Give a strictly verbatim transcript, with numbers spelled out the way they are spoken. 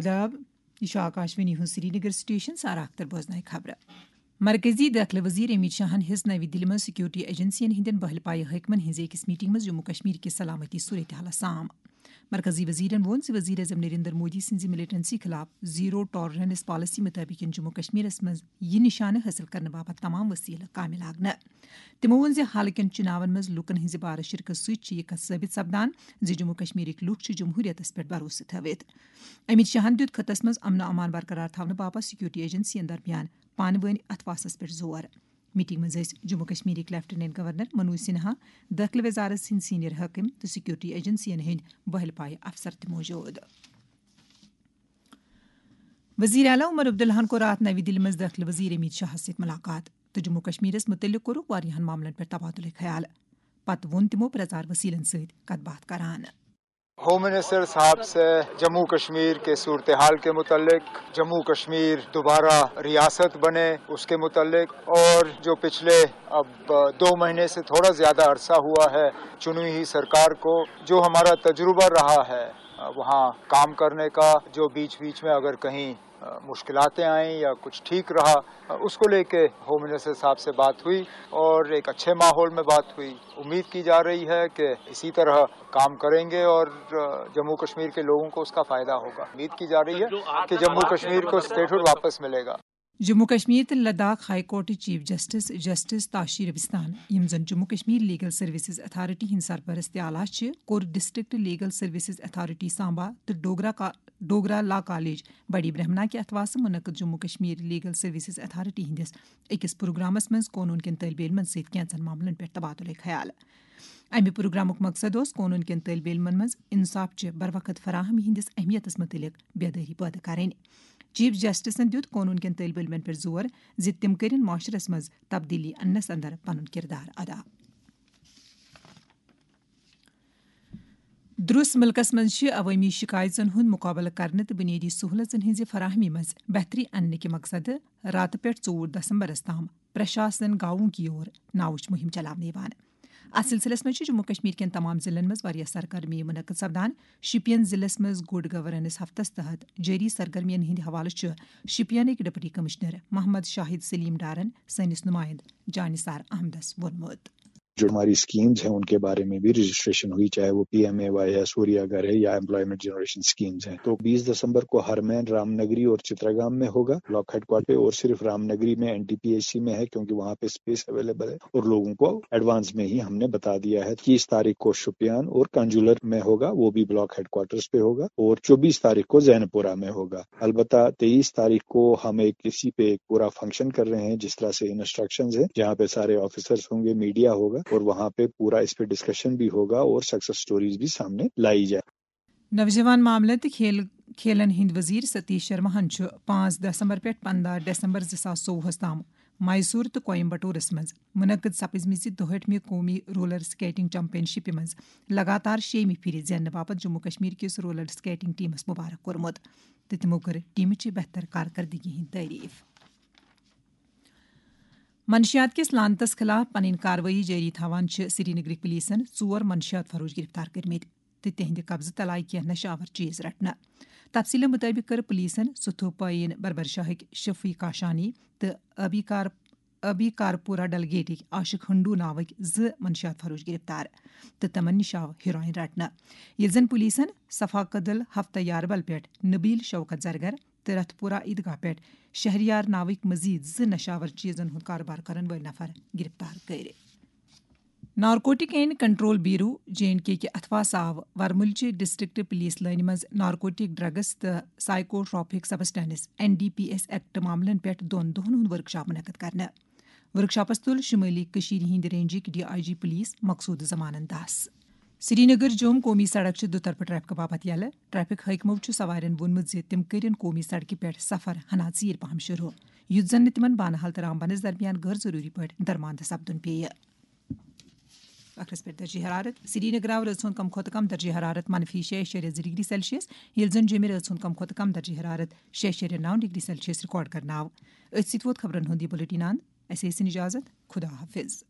آداب، یہِ چھُ آکاشوانی ہُنٛد سرینگر سٹیشن۔ سارا اختر بوزناوِ خبرٕ۔ مرکزی دٲخلہٕ وزیر امت شاہن ہیٚژ نَوِ دِلہِ منٛز سیکورٹی ایجنسین ہٕنٛدٮ۪ن بٔہلہِ پایہِ حٲکمن ہٕنٛزِ أکِس میٹنگ منٛز جموں کشمیر کِس سلامتی صورتحالس سام۔ مرکزی وزیرن ووٚن زِ وزیر اعظم نریندر مودی سٕنٛزِ ملیٹنسی خلاف زیرو ٹالرنس پالیسی مُطٲبِق یِن جموں کشمیرس منٛز یہِ نشانہٕ حٲصِل کرنہٕ باپتھ تمام وسیلہٕ کامہِ لاگنہٕ۔ تِمو ووٚن زِ حالٕکٮ۪ن چُناون منٛز لوٗکن ہٕنٛزِ بارٕ شرکت سۭتۍ چھِ یہِ کتھ ثٲبت سپدان زِ جموں کشمیرٕکۍ لوٗکھ چھِ جمہوٗریتس پٮ۪ٹھ بھروسہٕ تھٲوِتھ۔ امت شاہن دیُت خطس منٛز امن و امان برقرار تھاونہٕ باپتھ سیکورٹی ایجنسین درمیان پانہٕ وٲنۍ اتھواسس پٮ۪ٹھ زور۔ میٹنگ منٛز ٲسۍ جموں کشمیرٕکۍ لیفٹیننٹ گورنر منوج سنہا، دٲخلہٕ وزارت سٕنٛدۍ سینئر حٲکم تہٕ سیکورٹی ایجنسین ہٕنٛدۍ بٔہلہِ پایہِ افسر تہِ موجود۔ وزیر اعلیٰ عمر عبداللہن کوٚر راتھ نَوِ دِلہِ منٛز دٲخلہٕ وزیر امت شاہس سۭتۍ ملاقات تہٕ جموں کشمیرس متعلق کوٚرُکھ واریاہن معاملن پٮ۪ٹھ تبادلہ خیال۔ پتہٕ ووٚن تِمو پرزار وسیلن سۭتۍ کتھ باتھ کران۔ ہوم منسٹر صاحب سے جموں کشمیر کے صورتحال کے متعلق، جموں کشمیر دوبارہ ریاست بنے اس کے متعلق، اور جو پچھلے اب دو مہینے سے تھوڑا زیادہ عرصہ ہوا ہے چنی ہوئی سرکار کو، جو ہمارا تجربہ رہا ہے وہاں کام کرنے کا، جو بیچ بیچ میں اگر کہیں مشکلاتیں آئیں یا کچھ ٹھیک رہا، اس کو لے کے ہوم منسٹر صاحب سے بات ہوئی اور ایک اچھے ماحول میں بات ہوئی۔ امید کی جا رہی ہے کہ اسی طرح کام کریں گے اور جموں کشمیر کے لوگوں کو اس کا فائدہ ہوگا۔ امید کی جا رہی ہے کہ جموں کشمیر کو اسٹیٹہڈ واپس ملے گا۔ جموں کشمیر تہٕ لداخ ہائی کورٹٕچ chief justice justice Tashi Rabstan, یِم زن Jammu Kashmir legal services authority ہٕنٛدۍ سرپرست تہِ آلہ چھِ، کوٚر district legal services authority Samba تہٕ ڈوگرا کا-، ڈوگرا لا کالج بڑی برہمنا کہِ اتھواسہٕ منعقد Jammu Kashmir legal services authority ہٕنٛدِس أکِس پروگرامس منٛز قونوٗن کٮ۪ن طٲلبہِ علمن سۭتۍ کینٛژن معاملن پٮ۪ٹھ تبادلہ خیال۔ امہِ پروگرامُک مقصد اوس قونوٗن کٮ۪ن طٲلبہِ علمن منٛز انصاف چہِ بروقت فراہمی ہٕنٛدِس اہمیتس مُتعلق بیدٲری پٲدٕ کرٕنۍ۔ چیف جسٹسن دیُت قونوٗن کٮ۪ن طٲلبہِ علمن پٮ۪ٹھ زور زِ تِم کٔرِن معاشرس منٛز تبدیلی اننس اندر پنُن کردار ادا۔ درس ملکس منٛز چھِ عوٲمی شکایژن ہُنٛد مُقابلہٕ کرنہٕ تہٕ بُنیٲدی سہوٗلژن ہٕنٛزِ فراہمی منٛز بہتری اننہٕ کہِ مقصدٕ راتہٕ پٮ۪ٹھ ژوٚوُہ دسمبرس تام پرشاسن گاؤں کی اور ناوٕچ مُہِم چلاونہٕ یِوان۔ اتھ سلسلس منٛز چھِ جموں کشمیر کٮ۪ن تمام ضلعن منٛز واریاہ سرگرمی منعقد سپدان۔ شوپین ضلعس منٛز گڈ گورننس ہفتس تحت جٲری سرگرمین ہٕنٛدِ حوالہٕ چھُ شوپینٕکۍ ڈپٹی کمشنر محمد شاہد سلیم ڈارن سٲنِس نمائندٕ جانثار احمدس ووٚنمُت۔ جو ہماری اسکیمز ہیں، ان کے بارے میں بھی رجسٹریشن ہوئی، چاہے وہ پی ایم اے وائی ہے، سوریا گھر ہے یا ایمپلائمنٹ جنریشن اسکیمز ہیں۔ تو بیس دسمبر کو ہرمین، رام نگری اور چتراگام میں ہوگا بلاک ہیڈ کوارٹر پہ، اور صرف رام نگری میں، N T P H C میں ہے، کیونکہ وہاں پہ اسپیس اویلیبل ہے اور لوگوں کو ایڈوانس میں ہی ہم نے بتا دیا ہے۔ تیس تاریخ کو شوپیان اور کنجولر میں ہوگا، وہ بھی بلاک ہیڈ کوارٹرز پہ ہوگا، اور چوبیس تاریخ کو زین پورہ میں ہوگا۔ البتہ تیئیس تاریخ کو ہم ایک اسی پہ ایک پورا فنکشن کر رہے ہیں، جس طرح سے انسٹرکشنز ہیں، جہاں پہ سارے آفیسرز ہوں گے، میڈیا ہوگا، اور وہاں پہ پورا اس پہ ڈسکشن بھی ہوگا اور سکسیس سٹوریز بھی سامنے لائی جائے۔ نوجوان معاملن تہٕ کھیل کھیلن ہٕنٛدۍ وزیر ستیش شرماہن چھُ پانٛژھ دسمبر پٮ۪ٹھ پنٛداہ دسمبر زٕ ساس ژوٚوُہس تام میسور تہٕ کویمبٹورس منٛز منعقد سپزمٕژِ دُہٲٹھمہِ قومی رولر سکیٹنگ چیمپین شپہِ منٛز لگاتار شیٚیمہِ پھِرِ زیننہٕ باپتھ جموں کشمیر کِس رولر سکیٹنگ ٹیمس مبارک کوٚرمُت تہٕ تِمو کٔر ٹیمہِ چہِ بہتر کارکردگی ہٕنٛز تعریف۔ منشیات کِس لعنتس خلاف پنٕنۍ کاروٲیی جٲری تھاوان چھِ سرینگرٕکۍ پولیسن ژور منشیات فروش گرفتار کٔرمٕتۍ تہٕ تِہنٛدِ قبضہٕ تل آیہِ کینٛہہ نشہٕ آور چیز رٹنہٕ۔ تفصیلہٕ مُطٲبِق کٔر پولیسن ستھو پٲیِن بربر شاہٕکۍ شفیع کاشانی تہٕ ابی کار-، ابی کارپورہ ڈلگیٹٕکۍ عاشق ہنڈو ناوٕکۍ زٕ منشیات فروش گرفتار تہٕ تِمن نِش آو ہیروئن رٹنہٕ۔ ییٚلہِ زن پولیسن صفا کدل ہفتہ یاربل پٮ۪ٹھ نبیل شوکت زرگر تہٕ رتھ پورہ عیدگاہ پٮ۪ٹھ شہریار ناوٕکۍ مزید زٕ نشہٕ آور چیزن ہُنٛد کاربار کرن وٲلۍ نفر گرفتار کٔرۍ۔ Narcotic and control bureau, J and K کہِ اتھواسہٕ آو ورمُلچہِ ڈسٹرکٹ پولیس لٲنہِ منٛز نارکوٹک ڈرگس تہٕ psychotropic substance, N D P S act معاملن پٮ۪ٹھ دۄن دۄہن ہُنٛد ورکشاپ منعقد کرنہٕ۔ ورکشاپس تُل شمٲلی کٔشیٖرِ ہٕنٛدِ رینجٕکۍ ڈی آئی جی پولیس مقصود زمانن دس۔ سرینگر جوم قومی سڑک چھِ دُطرفہٕ ٹریفکہٕ باپتھ یلہٕ۔ ٹریفک حٲکمو چھُ سوارٮ۪ن ووٚنمُت زِ تِم کٔرِن قومی سڑکہِ پٮ۪ٹھ سفر ہنا ژیٖرۍ پہم شروع، یُتھ زن نہٕ تِمن بانہال تہٕ رامبنس درمیان غٲر ضروٗری پٲٹھۍ درماندٕ سپدُن پیٚیہِ۔ ٲخرس پٮ۪ٹھ درجہ حرارت۔ سرینگر آو رٲژ ہُنٛد کم کھۄتہٕ کم درجہ حرارت منفی شےٚ اَشاریہ زٕ ڈگری سیلسیس، ییٚلہِ زن جوٚمہِ رٲژ ہُنٛد کم کھۄتہٕ کم درجہ حرارت شےٚ اَشاریہ نَو ڈگری سیلسیس ریکارڈ کرنہٕ آو۔ أتھۍ سۭتۍ ووت خبرن ہُنٛد یہِ بلیٹن اند۔ اَسہِ ٲسِن اجازت۔ خدا حافظ۔